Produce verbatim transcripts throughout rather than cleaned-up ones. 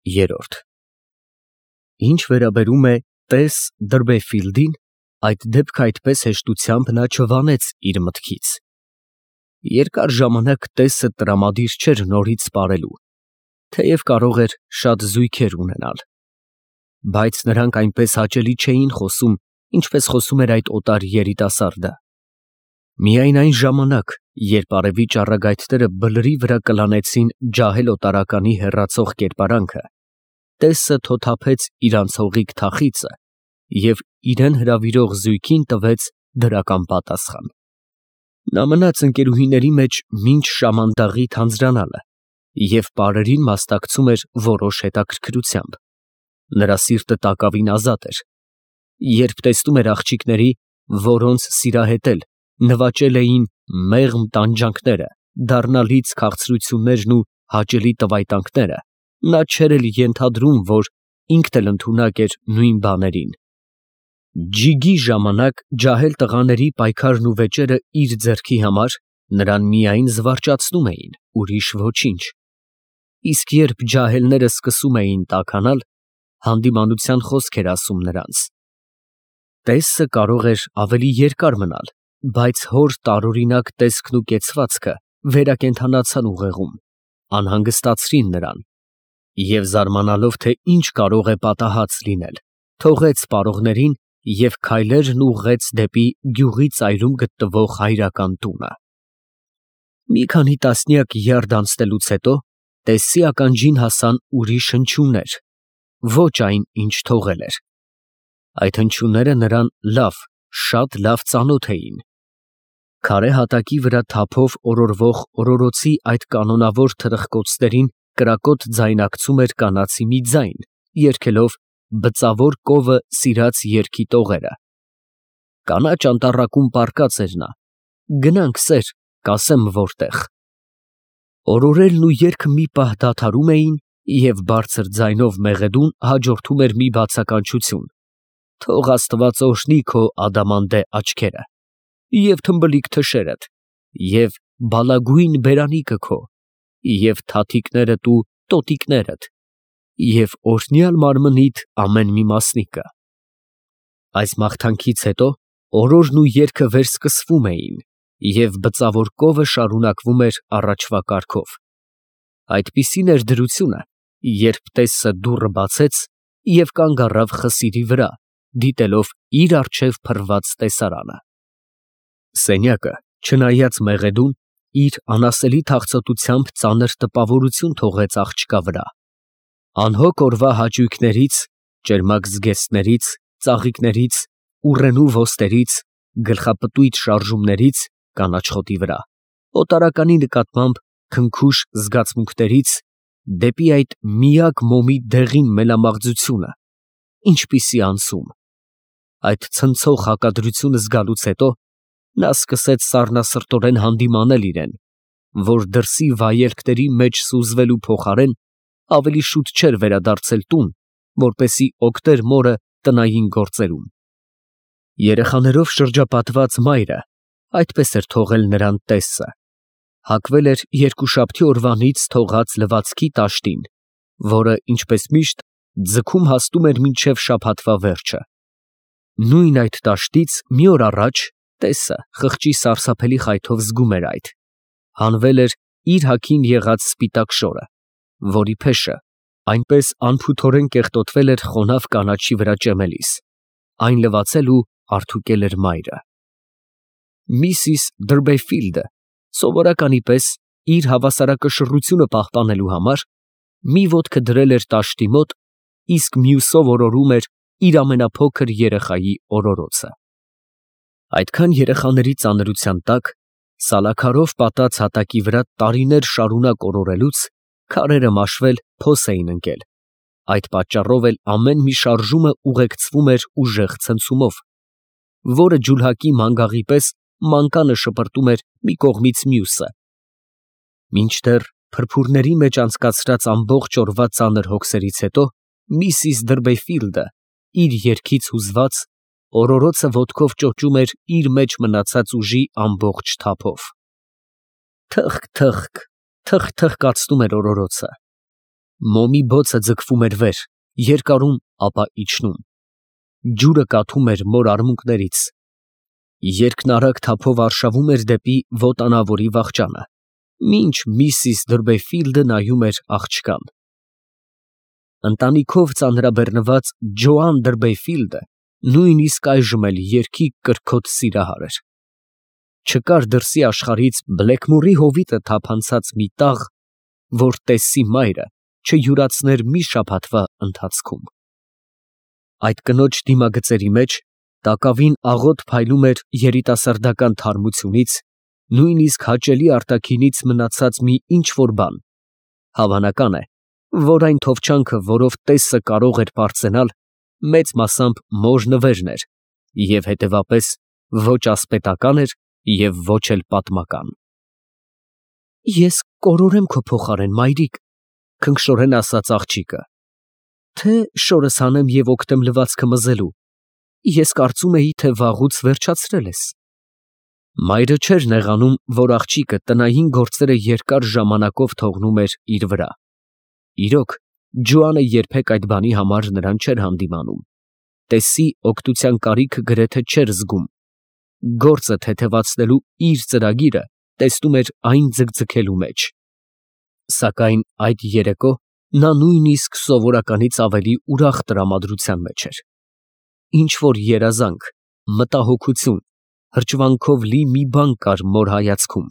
Երրորդ Ինչ վերաբերում է տես Դրբեֆիլդին, այդ դեպքը այդպես հեշտությամբ նա չվանեց իր մտքից. երկար ժամանակ տեսը տրամադիր չէր նորից սպառելու, թեև կարող էր շատ զույգեր ունենալ, բայց նրանք այնպես հաճելի չէին խոսում, ինչպես խոսում էր այդ օտար երիտասարդը. միայն այն ժամանակ, երբ արևի ճառագայթները բլրի վրա կլանեցին ջահել օտարականի հեռացող կերպարանքը, տեսը թոթափեց իր անցողիկ թախիծը և իրեն հրավիրող զույգին տվեց դրական պատասխան. նա մնաց ընկերուհիների մեջ մինչ շամանդաղի թանձրանալը և պարերին մասնակցում էր որոշ հետաքրքրությամբ, նրա սիրտը տակավին ազատ էր, երբ տեսնում էր աղջիկների, որոնց սիրահետել նվաճել էին մեղմ տանջանքները, դառնալից քաղցրություններն ու հաճելի տվայտանքները, նա չէր էլ ենթադրում, որ ինքն էլ ընդունակ էր նույն բաներին. ջիգի ժամանակ ջահել տղաների պայքարն ու վեճերը իր ձեռքի համար նրան միայն զվարճացնում էին, ուրիշ ոչինչ, իսկ երբ ջահելները սկսում էին տաքանալ, հանդիմանության խոսք էր ասում նրանց. տեսը կարող էր ավելի երկար մնալ, բայց հոր տարօրինակ տեսքն ու կեցվածքը վերակենդանացան ուղեղում, անհանգստացրին նրան, և զարմանալով, թե ինչ կարող է պատահած լինել, թողեց պարողներին և քայլերն ուղղեց դեպի գյուղի ծայրում գտնվող հայրական տունը. Մի քանի տասնյակ յարդ անցնելուց հետո տեսի ականջին հասան ուրիշ հնչյուններ, ոչ այն, ինչ թողել էր. այդ հնչյունները նրան լավ, շատ լավ ծանոթ էին. քարե հատակի վրա թափով օրորվող օրորոցի այդ կանոնավոր թրխկոցներին կրակոտ ձայնակցում էր կանացի մի ձայն, երգելով «Բծավոր կովը սիրած երգի տողերը»։ Կանաչ անտառակում պառկած էր նա, գնանք, սեր, կասեմ որտեղ։ Օրորելն ու երգը մի պահ դադարում էին, և բարձր ձայնով մեղեդուն հաջորդում էր մի բացականչություն. «Թող Աստված օրհնի քո ադամանդե աչքերը, և թմբլիկ թշերդ, և բալագույն բերանիկը քո, և թաթիկներդ ու տոտիկներդ, և օրհնյալ մարմնիդ ամեն մի մասնիկը»։ Այս մաղթանքից հետո օրորն ու երգը վերսկսվում էին, և բծավոր կովը շարունակվում էր առաջվա կարգով. այդպիսին էր դրությունը, երբ տեսը դուռը բացեց և կանգ առավ խսիրի վրա, դիտելով իր առջև փռված տեսարանը։ Սենյակը, չնայած մեղեդուն, իր անասելի թախծոտությամբ ծանր տպավորություն թողեց աղջկա վրա. անհոգ օրվա հաճույքներից, ճերմակ զգեստներից, ծաղիկներից, ուռենու ոստերից, գլխապտույտ շարժումներից կանաչ խոտի վրա, օտարականի նկատմամբ քնքուշ զգացմունքներից, դեպի այդ միակ մոմի դեղին մելամաղձությունը, ինչպիսի անցում։ Այդ ցնցող հակադրությունը զգալուց հետո նա սկսեց սառնասրտորեն հանդիմանել իրեն, որ դրսի վայելքների մեջ սուզվելու փոխարեն ավելի շուտ չէր վերադարձել տուն, որպեսզի օգներ մորը տնային գործերում։ Երեխաներով շրջապատված մայրը այդպես էր թողել նրան տեսը, հագվել էր երկուշաբթի օրվանից թողած լվացքի տաշտին, որը, ինչպես միշտ, ձգում հասնում էր մինչև շաբաթվա վերջը։ Նույն այդ տաշտից մի օր առաջ տեսը խղճի սարսափելի խայթով զգում էր այդ, հանվել էր իր հագին եղած սպիտակ շորը, որի փեշը այնպես անփութորեն կեղտոտվել էր խոնավ կանաչի վրա ճեմելիս, այն լվացել ու հարդուկել էր մայրը։ Միսիս Դրբեֆիլդը սովորականի պես իր հավասարակշռությունը պահպանելու համար մի ոտքը դրել էր տաշտի մոտ, իսկ մյուսով օրորում էր իր ամենափոքր երեխայի օրորոցը։ Այդքան երեխաների ծանրության տակ, սալաքարով պատած հատակի վրա տարիներ շարունակ օրորելուց, քարերը մաշվել, փոս էին ընկել, այդ պատճառով էլ ամեն մի շարժումը ուղեկցվում էր ուժեղ ցնցումով, որը ջուլհակի մանգաղի պես մանկանը շպրտում էր մի կողմից մյուսը, մինչդեռ փրփուրների մեջ անցկացրած ամբողջ օրվա ծանր հոգսերից հետո միսիս Դրբեֆիլդը իր երգից հուզված օրորոցը ոտքով ճոճում էր իր մեջ մնացած ուժի ամբողջ թափով։ Թխկ, թխկ, թխթխկացնում էր օրորոցը։ Մոմի բոցը ձգվում էր վեր, երկարում, ապա իջնում։ Ջուրը կաթում էր մոր արմունկներից։ Երկն արագ թափով արշավում էր դեպի վոտանավորի վախճանը, մինչ միսիս Դրբեֆիլդը նայում էր աղջկան։ Ընտանիքով ծանրաբեռնված Ջոան Դրբեֆիլդը նույնիսկ այժմ էլ երգի կրքոտ սիրահար էր։ Չկար դրսի աշխարհից Բլեքմուրի հովիտը թափանցած մի տաղ, որ Տեսսի մայրը չյուրացներ մի շաբաթվա ընթացքում։ Այդ կնոջ դիմագծերի մեջ տակավին աղոտ փայլում էր երիտասարդական թարմությունից, նույնիսկ հաճելի արտաքինից մնացած մի ինչ֊որ բան։ Հավանական է, որ այն թովչանքը, որով Տեսսը կարող էր պարծենալ, մեծ մասամբ մոր նվերն էր և հետևապես ոչ ասպետական էր և ոչ էլ պատմական։ Ես կորորեմ քո փոխարեն, մայրիկ, քնքշորեն ասաց աղջիկը, թե շորս հանեմ և օգտեմ լվացքը մզելու, ես կարծում էի, թե վաղուց վերջացրել ես։ Մայրը չէր նեղանում, որ աղջիկը տնային գործերը երկար ժամանակով թողնում էր իր վրա։ Իրոք, Ջոանը երբեք այդ բանի համար նրան չէր հանդիմանում, Տեսսի օգնության կարիքը գրեթե չէր զգում, գործը թեթևացնելու իր ծրագիրը տեսնում էր այն ձգձգելու մեջ։ Սակայն այդ երեկո նա նույնիսկ սովորականից ավելի ուրախ տրամադրության մեջ էր։ Ինչ-որ երազանք, մտահոգություն, հրճվանքով լի մի բան կար մոր հայացքում,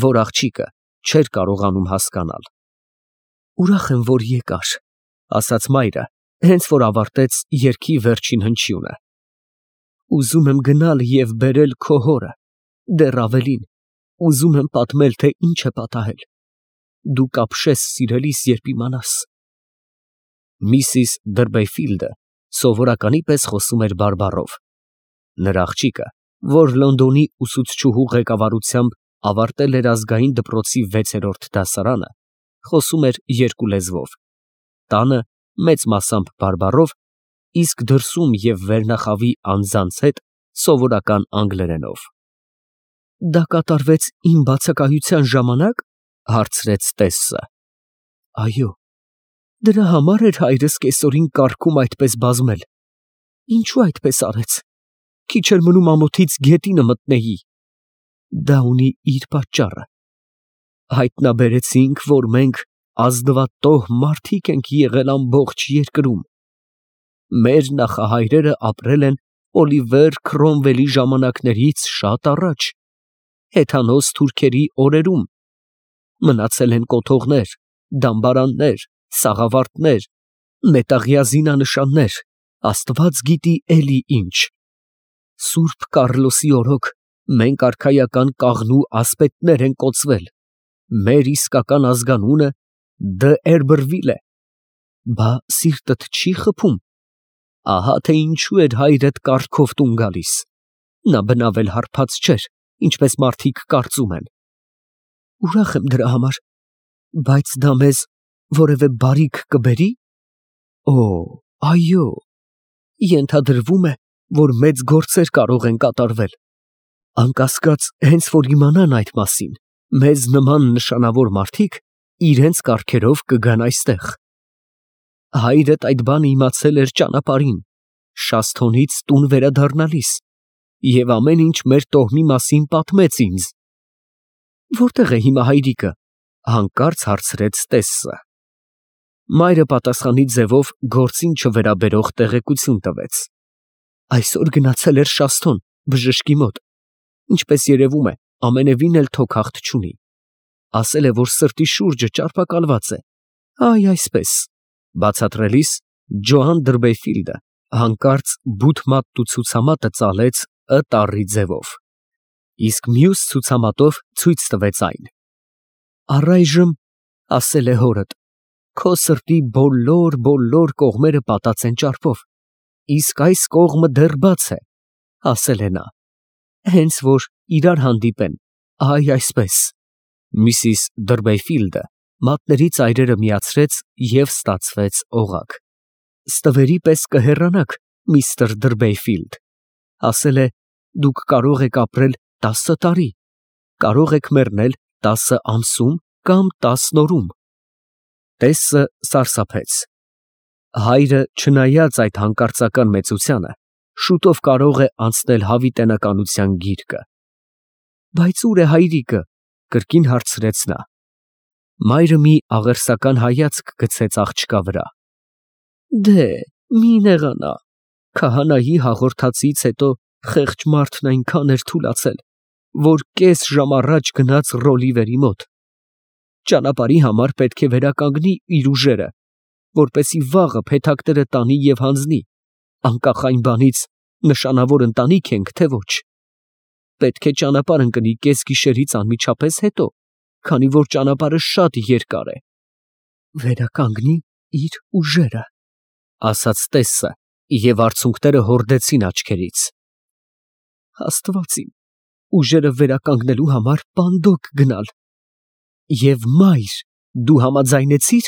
որ աղջիկը չէր կարողանում հասկանալ։ Ուրախ եմ, որ եկար, ասաց մայրը, հենց որ ավարտեց երգի վերջին հնչյունը։ Ուզում եմ գնալ և բերել քո հորը, դեռ ավելին, ուզում եմ պատմել, թե ինչ է պատահել։ Դու կապշես սիրելիս, երբ իմանաս։ Միսիս Դրբեֆիլդը սովորականի պես խոսում էր բարբառով։ Նրա աղջիկը, որ Լոնդոնի ուսուցչուհու ղեկավարությամբ ավարտել էր ազգային դպրոցի վեցերորդ դասարանը, խոսում էր երկու լեզվով, տանը մեծ մասամբ բարբառով, իսկ դրսում և վերնախավի անձանց հետ սովորական անգլերենով։ Դա կատարվեց իմ բացակայության ժամանակ, հարցրեց Տեսսը։ Այո, դրա համար էր հայրս կեսօրին կառքում այդպես բազմել։ Ինչու այդպես արեց։ Քիչ էր մնում ամոթից գետինը մտնեի։ Դա ունի իր պատճառը։ Հայտնաբերեցինք, որ մենք ազնվատոհ մարդիկ ենք եղել ամբողջ երկրում։ Մեր նախահայրերը ապրել են Օլիվեր Քրոմվելի ժամանակներից շատ առաջ, հեթանոս թուրքերի օրերում։ Մնացել են կոթողներ, դամբարաններ, սաղավարտներ, մետաղյա զինանշաններ, Աստված գիտի էլի ինչ։ Սուրբ Կառլոսի օրոք մենք արքայական կաղնու ասպետներ են կոծվել։ Մեր իսկական ազգանունը Դ'Երբրվիլ է։ Բա սիրտդ չի խփում։ Ահա թե ինչու էր հայրդ կառքով տուն գալիս։ Նա բնավ էլ հարբած չէր, ինչպես մարդիկ կարծում են։ Ուրախ եմ դրա համար, բայց դա մեզ որևէ բարիք կբերի։ Օ, այո, ենթադրվում է, որ մեծ գործեր կարող են կատարվել։ Անկասկած, հենց որ իմանան այդ մասին, մեզ նման նշանավոր մարդիկ իրենց կառքերով կգան այստեղ։ Հայրդ այդ բանը իմացել էր ճանապարհին, Շասթոնից տուն վերադառնալիս, և ամեն ինչ մեր տոհմի մասին պատմեց ինձ։ Որտե՞ղ է հիմա հայրիկը, հանկարծ հարցրեց Տեսսը։ Մայրը պատասխանի ձևով գործին չվերաբերող տեղեկություն տվեց։ Այսօր գնացել էր Շասթոն, բժշկի մոտ, ինչպես երևում է, ամենևին էլ թոքախտ չունի։ Ասել է, որ սրտի շուրջը ճարպակալված է։ Այ այսպես։ Բացատրելիս Ջոան Դրբեֆիլդը հանկարծ բութ-մատտու ցուցամատը ծալեց Ը տառի ձևով, իսկ մյուս ցուցամատով ցույց տվեց այն։ Առայժմ, ասել է հորդ, քո սրտի բոլոր-բոլոր կողմերը պատած են ճարպով, իսկ այս կողմը դեռ բաց է, ասել է նա, հենց որ իրար հանդիպեն, այ այսպես։ Միսիս Դրբեֆիլդը մատների ծայրերը միացրեց և ստացվեց օղակ։ Ստվերի պես կհեռանաք, միստր Դրբեֆիլդ, ասել է, դուք կարող եք ապրել տասը տարի, կարող եք մեռնել տասը ամսում կամ տասն օրում։ Տեսը սարսափեց։ Հայրը, չնայած այդ հանկարծական մեծությանը, շուտով կարող է անցնել հավիտենականության գիրկը։ Բայց ուր է հայրիկը, կրկին հարցրեց նա։ Մայրը մի աղերսական հայացք գցեց աղջկա վրա։ Դե, մի նեղանա, քահանայի հաղորդածից հետո խեղճ մարդն այնքան էր թուլացել, որ կես ժամ առաջ գնաց Ռոլիվերի մոտ։ Ճանապարհի համար պետք է վերականգնի իր ուժերը, որպեսզի վաղը փեթակները տանի և հանձնի, անկախ այն բանից, նշանավոր ընտանիք ենք, թե ոչ։ Պետք է ճանապարհ ընկնի կեսգիշերից անմիջապես հետո, քանի որ ճանապարհը շատ երկար է։ Վերականգնի իր ուժերը, ասաց տեսը, և արցունքները հորդեցին աչքերից։ Աստված իմ, ուժերը վերականգնելու համար պանդոկ գնալ։ Եվ մայր, դու համաձայնեցի՞ր։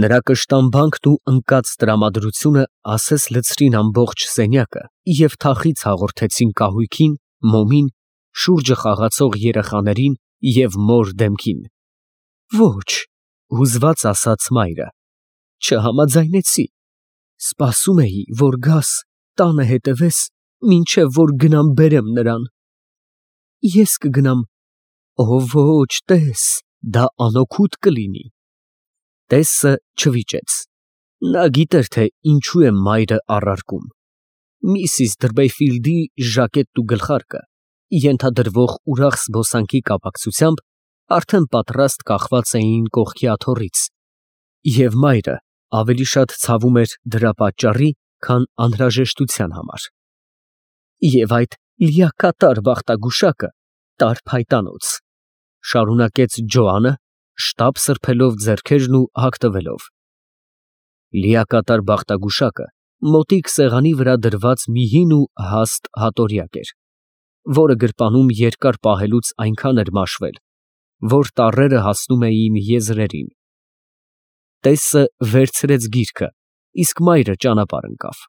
Նրա կշտամբանքն ու ընկած տրամադրությունը ասես լցրին ամբողջ սենյակը և թախիծ հաղորդեցին կահույքին, մոմին, շուրջը խաղացող երեխաներին և մոր դեմքին։ Ոչ, հուզված ասաց մայրը, չհամաձայնեցի։ Սպասում էի, որ գաս, տանը հետևես, մինչև որ գնամ բերեմ նրան։ Ես կգնամ։ Օ ոչ, տես, դա անօգուտ կլինի։ Տեսը չվիճեց։ Նա գիտեր, թե ինչու է մայրը առարկում։ Միսիս Դրբեյֆիլդի ժակետն ու գլխարկը, ենթադրվող ուրախ զբոսանքի կապակցությամբ, արդեն պատրաստ կախված էին կողքի աթոռից, և մայրը ավելի շատ ցավում էր դրա պատճառի, քան անհրաժեշտության համար։ Եվ այդ լիակատար բախտագուշակը տար փայտանոց, շարունակեց Ջոանը, շտապ սրբելով ձեռքերն ու հագնվելով։ Լիակատար բախտագուշակը մոտիկ սեղանի վրա դրված մի հին ու հաստ հատորյակ էր, որը գրպանում երկար պահելուց այնքան էր մաշվել, որ տառերը հասնում էին եզրերին։ Տեսը վերցրեց գիրքը, իսկ մայրը ճանապարհ ընկավ։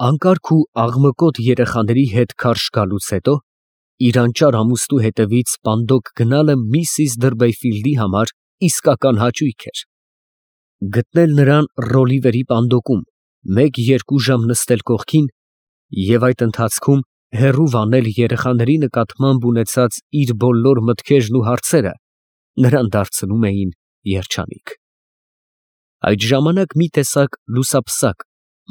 Անկարգ ու աղմկոտ երեխաների հետ քարշ գալուց հետո իր անճար ամուսնու հետևից պանդոկ գնալը միսիս Դրբեյֆիլդի համար իսկական հաճույք էր։ Գտնել նրան Ռոլիվերի պանդոկում, մեկ֊երկու ժամ նստել կողքին և այդ ընթացքում հեռու վանել երեխաների նկատմամբ ունեցած իր բոլոր մտքերն ու հարցերը նրան դարձնում էին երջանիկ։ Այդ ժամանակ մի տեսակ լուսափսակ,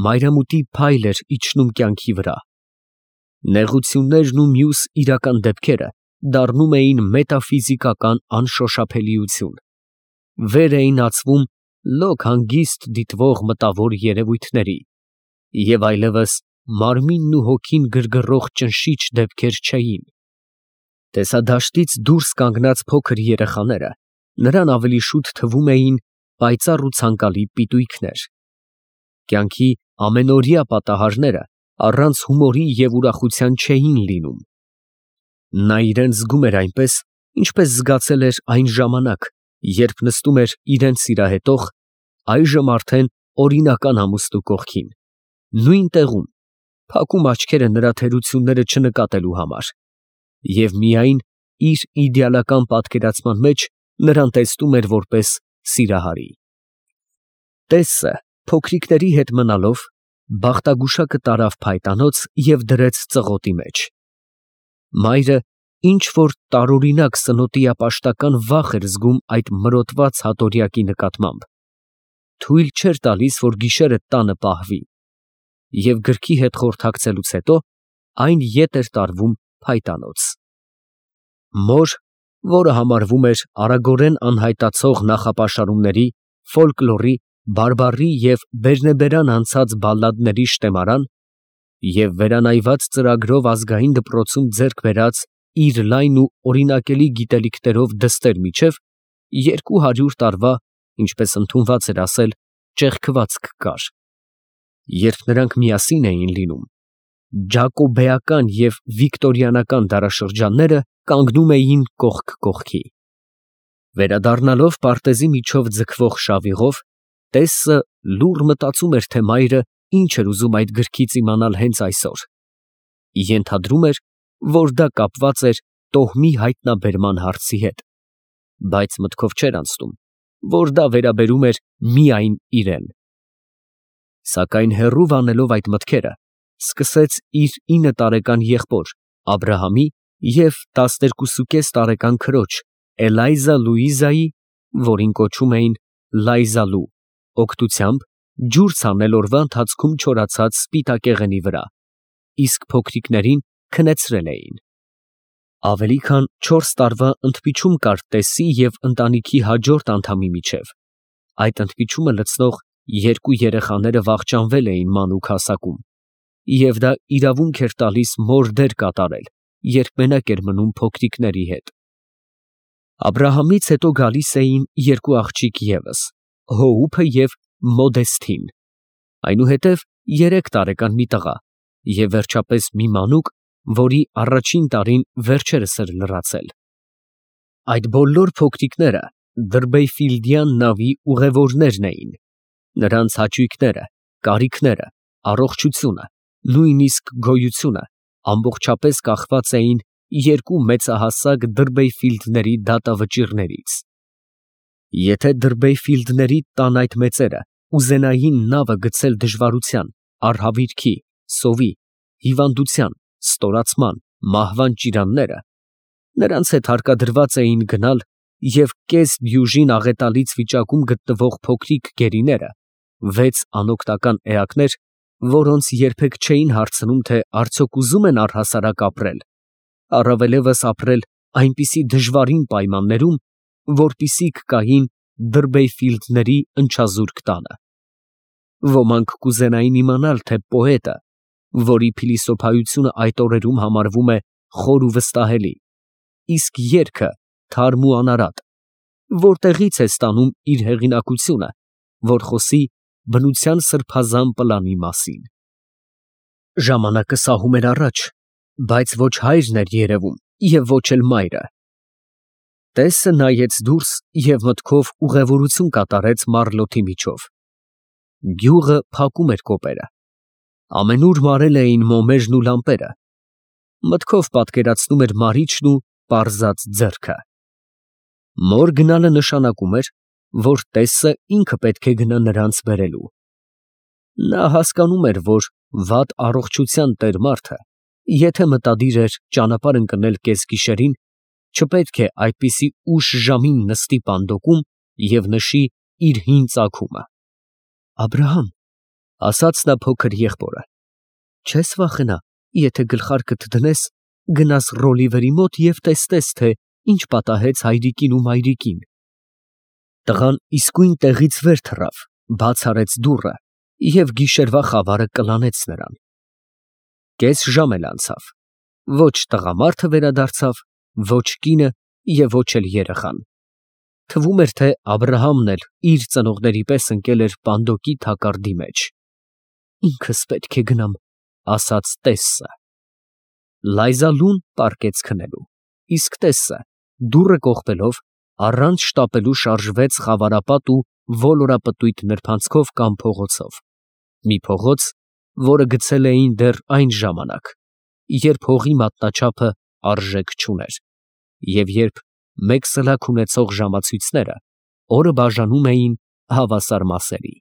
մայրամուտի փայլ էր իջնում կյանքի վրա։ Նեղություններն ու մյուս իրական դեպքերը դառնում էին մետաֆիզիկական անշոշափելիություն։ Վեր էին ածվում լոկ հանգիստ դիտվող մտավոր երևույթների, և այլևս մարմինն ու հոգին գրգռող ճնշիչ դեպքեր չէին։ Տեսադաշտից դուրս կանգնած փոքր երեխաները նրան ավելի շուտ թվում էին պայծառ ու ցանկալի պիտույքներ։ Կյանքի ամենօրյա պատահարները առանց հումորի և ուրախության չէին լինում։ Նա իրան զգում էր այնպես, ինչպես զգացել էր այն ժամանակ, երբ նստում էր իրան սիրահետող, այժմ արդեն օրինական ամուսնու կողքին, նույն տեղում, փակում աչքերը նրա թերությունները չնկատելու համար, և միայն իր իդեալական պատկերացման մեջ նրան տեսնում էր որպես սիրահարի։ Տեսը, փոքրիկների հետ մնալով, բախտագուշակը տարավ փայտանոց և դրեց ծղոտի մեջ։ Մայրը ինչ֊որ տարօրինակ սնոտիապաշտական վախ էր զգում այդ մրոտված հատորյակի նկատմամբ, թույլ չէր տալիս, որ գիշերը տանը պահվի, և գրքի հետ խորհրդակցելուց հետո այն ետ էր տարվում փայտանոց։ Մոր, որը համարվում էր արագորեն անհայտացող նախապաշարումների, ֆոլկլորի, բարբառի և բերնեբերան անցած բալլադների շտեմարան և վերանայված ծրագրով ազգային դպրոցում ձեռք բերած իր լայն ու օրինակելի գիտելիքներով դստեր միջև երկու հարյուր տարվա, ինչպես ընդունված էր ասել, ճեղքվածք կար։ Երբ նրանք միասին էին լինում, ջակոբեական և վիկտորիանական դարաշրջանները կանգնում էին կողք կողքի։ Վերադառնալով պարտեզի միջով ձգվող շավիղով, տեսը լուռ մտածում էր, թե մայրը ինչ էր ուզում այդ գրքից իմանալ հենց այսօր։ Ենթադրում էր, որ դա կապված էր տոհմի հայտնաբերման հարցի հետ, բայց մտքով չէր անցնում, որ դա վերաբերում էր միայն իրեն։ Սակայն հեռու վանելով այդ մտքերը, սկսեց իր ինը տարեկան եղբոր Աբրահամի և տասներկուսուկես տարեկան քրոջ Էլայզա Լուիզայի, որին կոչում էին Լայզալու, օգնությամբ ջուր ցանել օրվա ընթացքում չորացած սպիտակեղենի վրա, իսկ փոքրիկներին քնեցրել էին։ Ավելի քան չորս տարվա ընդմիջում կար տեսի և ընտանիքի հաջորդ անդամի միջև։ Այդ ընդմիջումը լցնող երկու երեխաները վախճանվել էին մանուկ հասակում, և դա իրավունք էր տալիս մոր դեր կատարել, երբ մենակ էր մնում փոքրիկների հետ։ Աբրահամից հետո գալիս էին երկու աղջիկ ևս՝ Հոուփը և Մոդեսթին, այնուհետև երեք տարեկան մի տղա և վերջապես մի մանուկ, որի առաջին տարին վերջերս էր լրացել։ Այդ բոլոր փոքրիկները Դրբեյֆիլդյան նավի ուղևորներն էին։ Նրանց հաճույքները, կարիքները, առողջությունը, նույնիսկ գոյությունը ամբողջապես կախված էին երկու մեծահասակ Դրբեյֆիլդների դատավճիռներից։ Եթե Դրբեյֆիլդների տան այդ մեծերը ուզենային նավը գցել դժվարության, արհավիրքի, սովի, հիվանդության, ստորացման, մահվան ճիրանները, նրանց հետ հարկադրված էին գնալ և կես դյուժին աղետալից վիճակում գտնվող փոքրիկ գերիները, վեց անօգնական էակներ, որոնց երբեք չէին հարցնում, թե արդյոք ուզում են առհասարակ ապրել, առավելևս ապրել այնպիսի դժվարին պայմաններում, որպիսիք կային Դրբեյֆիլդների ընչազուրկ տանը։ Ոմանք կուզենային իմանալ, թե պոետը, որի փիլիսոփայությունը այդ օրերում համարվում է խոր ու վստահելի, իսկ երգը թարմ ու անարատ, որտեղից է ստանում իր հեղինակությունը, որ խոսի բնության սրբազան պլանի մասին։ Ժամանակը սահում էր առաջ, բայց ոչ հայրն էր երևում և ոչ էլ մայրը։ Տեսը նայեց դուրս և մտքով ուղևորություն կատարեց Մարլոթի միջով։ Գյուղը փակում էր կոպերը։ Ամենուր մարել էին մոմերն ու լամպերը։ Մտքով պատկերացնում էր Մարիչն ու պարզած ձեռքը։ Մոր գնալը նշանակում էր, որ տեսը ինքը պետք է գնա նրանց բերելու։ Նա հասկանում էր, որ վատ առողջության տեր մարդը, եթե մտադիր էր ճանապարհ ընկնել կեսգիշերին, չպետք է այդպիսի ուշ ժամին նստի պանդոկում և նշի իր հին ծագումը։ ֊ Աբրահամ, ֊ ասաց նա փոքր եղբորը, ֊ չես վախենա, եթե գլխարկդ դնես, գնաս Ռոլիվերի մոտ և տեսնես, թե ինչ պատահեց հայրիկին ու մայրիկին։ Տղան իսկույն տեղից վեր թռավ, բաց արեց դուռը և գիշերվա խավարը կլանեց նրան։ Կես ժամ էլ անցավ, ոչ տղամարդը վերադարձավ, ոչ կինը և ոչ էլ երեխան։ Թվում էր, թե Աբրահամն էլ իր ծնողների պես ընկել էր պանդոկի թակարդի մեջ։ Ինքս պետք է գնամ, ֊ ասաց տեսը։ Լայզալուն պառկեց քնելու, իսկ տեսը, դուռը կողպելով, առանց շտապելու շարժվեց խավարապատ ու ոլորապտույտ նրբանցքով կամ փողոցով, մի փողոց, որը գցել էին դեռ այն ժամանակ, երբ հողի մատնաչափը արժեք չուներ, և երբ մեկ սլաք ունեցող ժամացույցները օրը բաժանում էին հավասար մասերի։